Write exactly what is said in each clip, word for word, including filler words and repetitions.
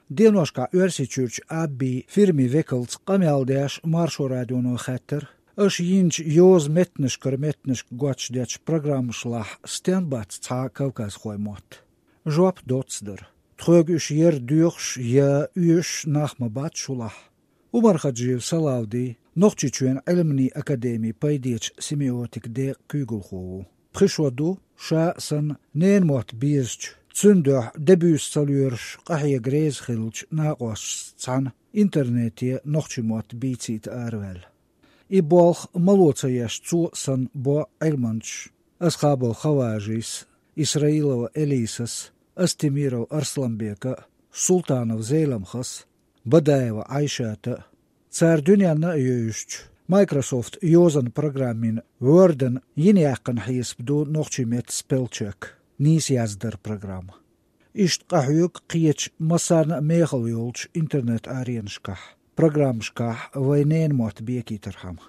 Деношкахь Оьрсийчуьрчу Абби фирмин векалца къамел деш Маршо радионо хаьттира, аша йинчу йоза меттанашкара меттанашка готташ дечу программашлахь стен бац цхьа кавказхойн мотт. Жоп доцца дара. Тхоьга уьш яра доьхуш я оьшуш нах ма бац шулахь. Умархаджиев Салавди, Нохчийчоьнан Ӏилманийн академин пайдечу семиотикан декъан куьйгалхо ву. Пхи шо ду, ша а санна, ненан мотт безачу, цуьнан дуьхьа де-буьйса ца лоьруш, къахьега реза хиллачу накъосташца цхьаьна интернете нохчийн мотт бийцийта араваьлла. И болх мало ца еш цо а санна бо Ӏилманчаш: Асхабов Хаважис, Исраилова Элисас, Астемиров Арсланбека, Султанов Зеламхас, Бадаева Айшата. Цара дуьненна а евзачу Microsoft йозанан программин Word-ан йина яьккхина хьесап ду нохчийн меттан спеллчек, нийса яздаран программа. Иштта къахьоьгу кхечу массарна а мехала йолчу интернет-аренашкахь, программашкахь вайн ненан мотт бекийтархьама.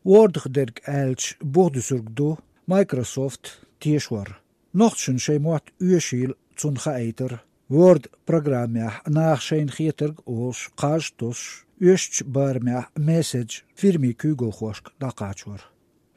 Word-ах дерг аьлча, бух дуьсург ду Microsoft тешор. Нохчашна шайн мотт оьшийла цунна хаийтар, Word программехь наха шайна хетарг а олуш, кхаж а тосуш, оьшучу барамехь месседж фирмин куьйгалхошка дӀакхачор.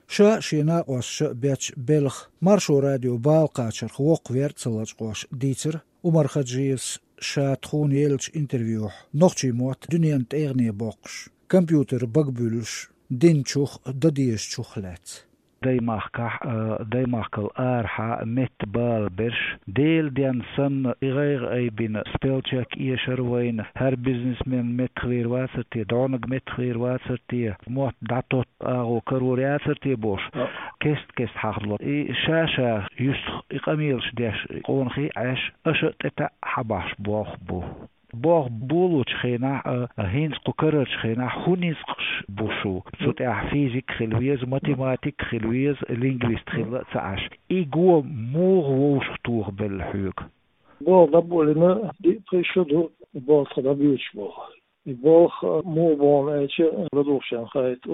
Ша а, шен накъосташа а бечу белхан Маршо радион бала кхачарх воккхавер а ца лачкъош дийцира Умархаджиевс ша тхуна еллачу интервьюхь нохчийн мотт дуьненан тӀегӀане боккхуш, компьютеран бага буьллуш, динчух а, дан дезачух а лаьцна. Даймахкахь а, даймахкал арахьа а меттан бала берш, Делан денна санна, и гӀайгӀа айбина, спеллчек эшар вайна, хӀара бизнесмен меттахвийр вацар те, дӀонаг меттахвийр вацар те, мотт дӀатотта агӀо карор яцар те бохуш, кест-кеста хьахадо. И ша-ша юьстах и къамелаш деш, къонахий а Ӏеш, аша а тӀе таьӀ хьабахьаш болх бу. Болх болучу хенахь а, хӀинца кху карарчу хенахь хӀун ницкъаш бу шу? Цу тӀехь физик хила веза, математик хила веза, лингвист хила а ца Ӏаш. И го муха вовшахтохабелла хьоьга? Болх дӀаболийна диъ-пхи шо ду, и болх тхан дӀабоьдуш болу. И болх муха боху аьлча, ладугӀучарна хаийта,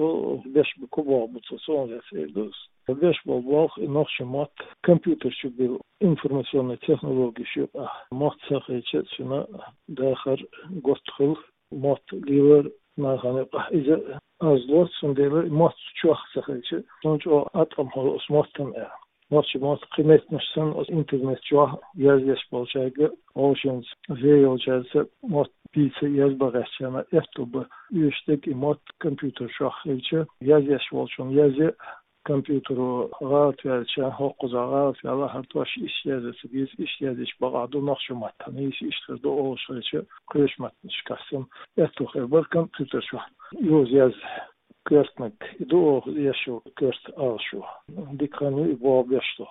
беш бу, кху болх бу цо, цунах эр ду ас. Беш болу болх и нохчийн мотт компьютер чу билла, информационный технологеш юкъахь мотт ца хилча, цуьнан дахар готта хуьлу, мотт лелор нахана юкъахь иза аз ло, цундела мотт чохь ца хилча, цунна чӀогӀа аткъам хуьлу оцу маттана аьлла. Нохчийн мотт кхин меттанаш санна, оцу интернет чохь яздеш болчаьрга, вовшашца вен йолчаьрца мотт бийца язбан гӀертачарна аьтто бан, оьшуш дерг и мотт компьютер чохь хилча, яздеш волчунна язъе, компьютеро гӀалат ваьлча, хӀокхузахь гӀалат ваьлла, хӀара дош иштта язъян ца деза, иштта язйича бакъахь ду нохчийн маттахь, нийса иштта хир ду олуш хилча, кхечу меттанашкахь санна, аьтто хир бара компьютер чохь йоза язъян. Коьртаниг и ду оха эшо, коьрта алашо. Дика хан ю и болх беш долу.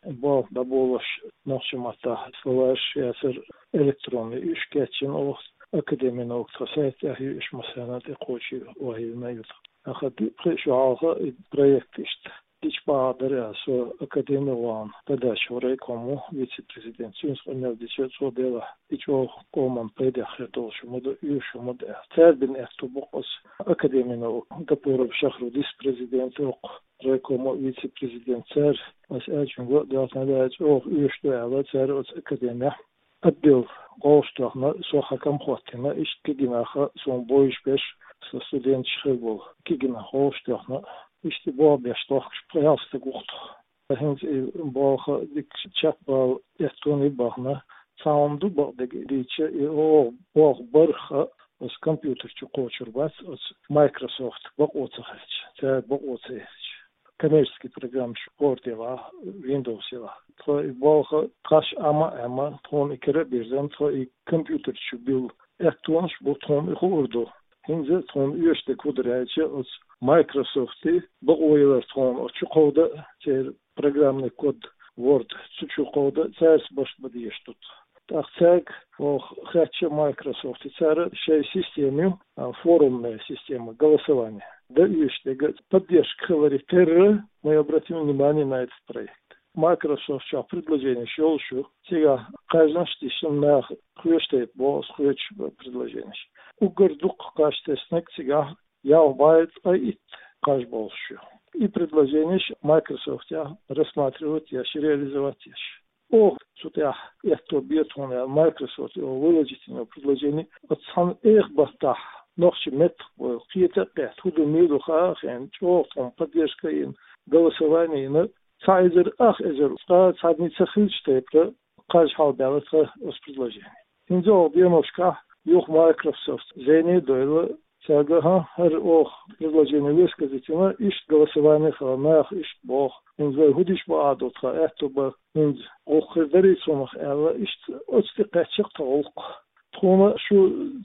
И болх дӀаболош нохчийн маттахь словарьш яцара электронный, уьш кечйина оха, академин наук тхан сайт тӀехь ю, уьш массарна а тӀекхочий вахийна ю тхан. Ахьа диъ-пхи шо хьалха и проект иштта дича бахьа дара аьлла, со академехь вахана, Дадачев Райком ву, вице-президент, цуьнца къамел дича, цо делахь, и чӀогӀа къоман пайдехь хир долуш хӀума ду, оьшуш хӀума ду аьлла. Цара бина аьтто бу-кх оцу академин наук, Гапуров Шахрудис президент ву-кх, Райкома вице-президент, цара, ас аьллачуьнга, доьхна даьлла, чӀогӀа оьшуш ду аьлла, цара оцу академехь отдел гӀовш тоьхна, со хьаькам хӀоттийна, иштта кегийнах, суна бовзуш берш, сан студенташ хир болу, кегийнах гӀовш тоьхна, иштта и болх беш дохкуш пхи-ялх стаг ву-кх тхо. ХӀинца и болх дика чекхбала аьттонаш бахана, цхьа хӀума ду бакъдерг дийцича, и оха болх барх а оцу компьютер чу кхочур бац, оцу Microsoft бакъо ца хилча, цара бакъо ца хилча. Коммерческий программаш Word елахь, Windows елахь. Тхо и болх кхаш Ӏама а Ӏемма, тхуна и кара а бирзина, тхо и компьютер чу билла аьттонаш бу, тхуна и хуур ду. ХӀинца тхуна оьшуш дерг хӀун дара аьлча, оцу Microsoft-и бакъо ялар тхуна оцу чу кховда, церан программный код Word цу чу кховда, цаьрца барт бан дезаш ду тхо. ТӀаккха цаьрга оха хаьттича Microsoft, и цара шайн система ю, а, форумная система, голосование. Дан оьшуш дерг, поддержка хиларе терра, мы обратим внимание на этот проект. Microsoft чохь предложенеш йолуш ю, цигахь кхаьжнаш а дисна, наха кхоьруш тайпа боху ас, кхоьруш предложенеш. Уггар дуккха кхаж теснарг цигахь ялх бӀе ткъе итт кхаж болуш ю. И предложенеш Microsoft-ехь рассматривать еш, реализовать еш. оха цу тӀехь аьтто бе тхуна аьлла, Microsoft-о выложить йина предложени, оцу цхьана эха баттахь нохчийн меттах бовла кхета а кхетта, хӀун ду, мила ду хаа а хиъна, чӀогӀа тхуна поддержка а йина, голосование а йина, цхьа эзар, ах эзар, цкъа цхьанний ца хилча тайпара, кхаж хьалабаьлла тхан оцу предложени. ХӀинца оха деношкахь юха Microsoft зене а дойла, цаьрга, хӀа, хӀара оха предложени высказать йина, иштта голосование хилла, наха иштта боху. ХӀинца вай хӀун дича бакъахь ду, тхан аьтто бан, хӀинца гӀуллакх хир дарий цунах аьлла, иштта оцу тӀе кхаьчна тхан гӀуллакх. Тхуна шу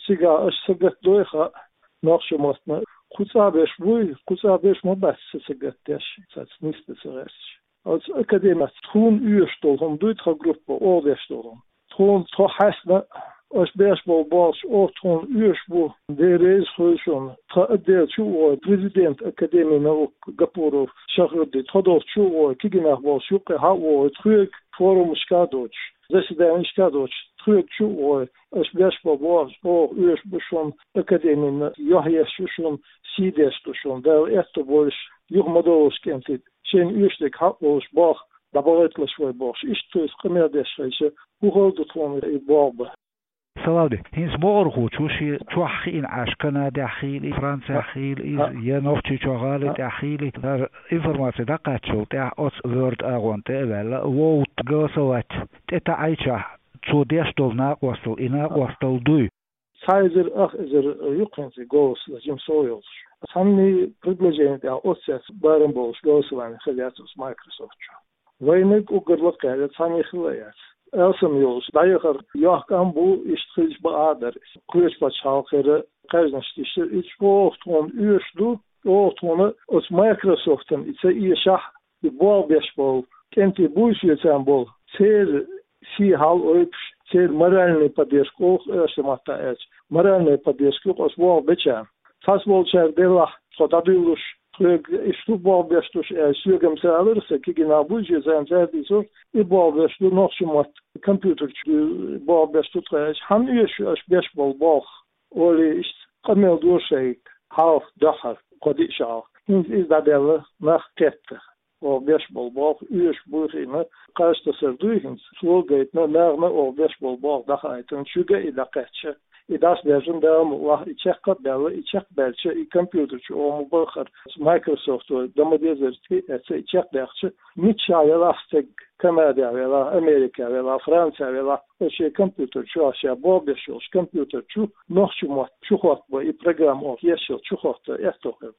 цигахь аша сагатдой хаьа, нохчийн маттана кху цӀа беш буй, кху цӀа беш ма бац сан сагатдеш, цаьрца нисдан ца гӀерташ. Оцу академехь тхуна оьшуш долу хӀума дуй тхан группа, оха беш долу хӀума. Тхуна тхо хьаьстина, аша беш болу болх оха тхуна оьшуш бу, Дела реза хуьлда шуна. Тхан отдел чу а вогӀий, президент Академии наук Гапуров Шахрудди, тхо долчу чу а вогӀий, кегийнах болчу юккъе хьа а вогӀий, тхоьга форумашка а доцуш, заседанешка а доцуш, тхоьга чу а вогӀий, аша беш болу болх оха оьшуш бу шуна, академина юьхь еш ю шуна, сий деш ду шуна, Дала аьтто бойла, юха ма довла кӀентий, шайна оьшург хьакъ волуш болх дӀабахийталаш вай бохуш, иштта цо иза къамел деш хилча, хӀун хала ду тхуна и болх бан. Салавди, хӀинца могӀархочо шен чохь хиъна Ӏаш, Канадехь хийла, Францехь хийла иза, я Нохчийчоь гӀали тӀехь хийла, хӀара информаци дӀакхаьччул тӀаьхьа оцу Word агӀонна тӀе а ваьлла, вовтта голосовать тӀе таӀийчахь, цо деш долу накъосталла, и накъосталла дуй? Цхьа эзар, ах эзар ю-кх хӀинца и голос лазим сов йолуш. Цхьанний предложени тӀехь оццаьрца барам болуш голосование хила яц оцу Microsoft чохь. Вайниг уггар лакхара яц, цхьанний хила яц. Алсам йолуш, дӀаяхар йоккха ам бу, иштта хилча бакъахь а дара иза. Кхечу пачхьалкхера кхаьжнаш тиша, и чӀогӀа тхуна оьшуш ду, чӀогӀа тхуна оцу Microsoft-ан и ца эшахь, и болх беш болу, кӀентий буй соьцан болу, церан сий хьал ойпуш, церан моральный поддержка олу-кх оьрсийн маттахь аьлча, моральная поддержка ю-кх оцу болх бечарна. Цхьацца болчара делахь, тхо дӀадуьйлуш, тхоьга иштта болх беш ду шу аьлча, соьгара ца алара сан, кегийнах буй соьцан, цара дийцура, и болх беш ду, нохчийн мотт компьютер чу болх беш ду тхо аьлча, хьан оьшу аша беш болу болх, олий, иштта къамел дора шайга хьалха дуьххьара, кхо-диъ шо хьалха. ХӀинца иза дӀадаьлла, нах кхетта. Оха беш болу болх оьшуш буй хиъна, кхаж тасар дуй хӀинца, цо гайтина, нахана оха беш болу болх дӀахаийтина, шуьга и дӀакхаьчча, и дӀасадаьржина, Дала мукъалахь, и чекх а баьлла, и чекхбаьлча, и компьютер чу оха ма баххара, Microsoft вай дан ма дезара, и эцца и чекхдаьккхича, миччахь велахь стаг, Канадехь велахь, Америкехь велахь, Францехь велахь, оцу шен компьютер чу, ша болх беш йолчу компьютер чу нохчийн мотт чухоттабан, и программа оха еш йолу чухотта аьтто хир.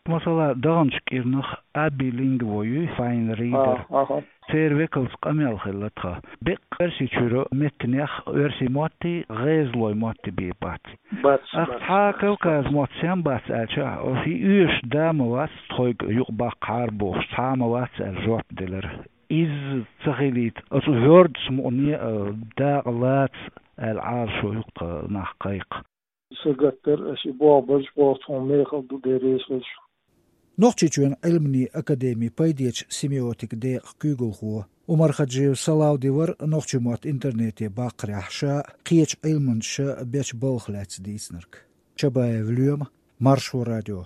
Масала, даханчу кӀирнах Аби Линго юй, Fine Reader. А, аха. Церан векалца къамел хилла тхан. Беккъа Оьрсийчуьра меттанех оьрсийн мотти, гӀезалойн мотти бен бац. Бац, ах, бац, цхьа бац, Кавказ бац. Мотт сем бац аьлча, оха и оьшуш да ма вац тхоьга юкъа баккхахьара бохуш, цхьа а ма вац аьлла жоп делира. Иза ца хилийта, оцу Word-ца мукъане а дакъа лаца аьлла, Ӏалашо ю-кх тхан нах кхайкха. Сагатдар аша и болх баржа, боху тхуна мехала ду, Дела реза хуьлда шуна. Нохчийчоьнан Ӏилманийн академин пайдерчу семиотикан декъан куьйгалхо Умархаджиев Салавди вара нохчийн мотт интернете баккхарехь ша а, кхечу Ӏилманчаша а бечу балхах лаьцна дийцинарг. Чабаев Лоьма, Маршо радио.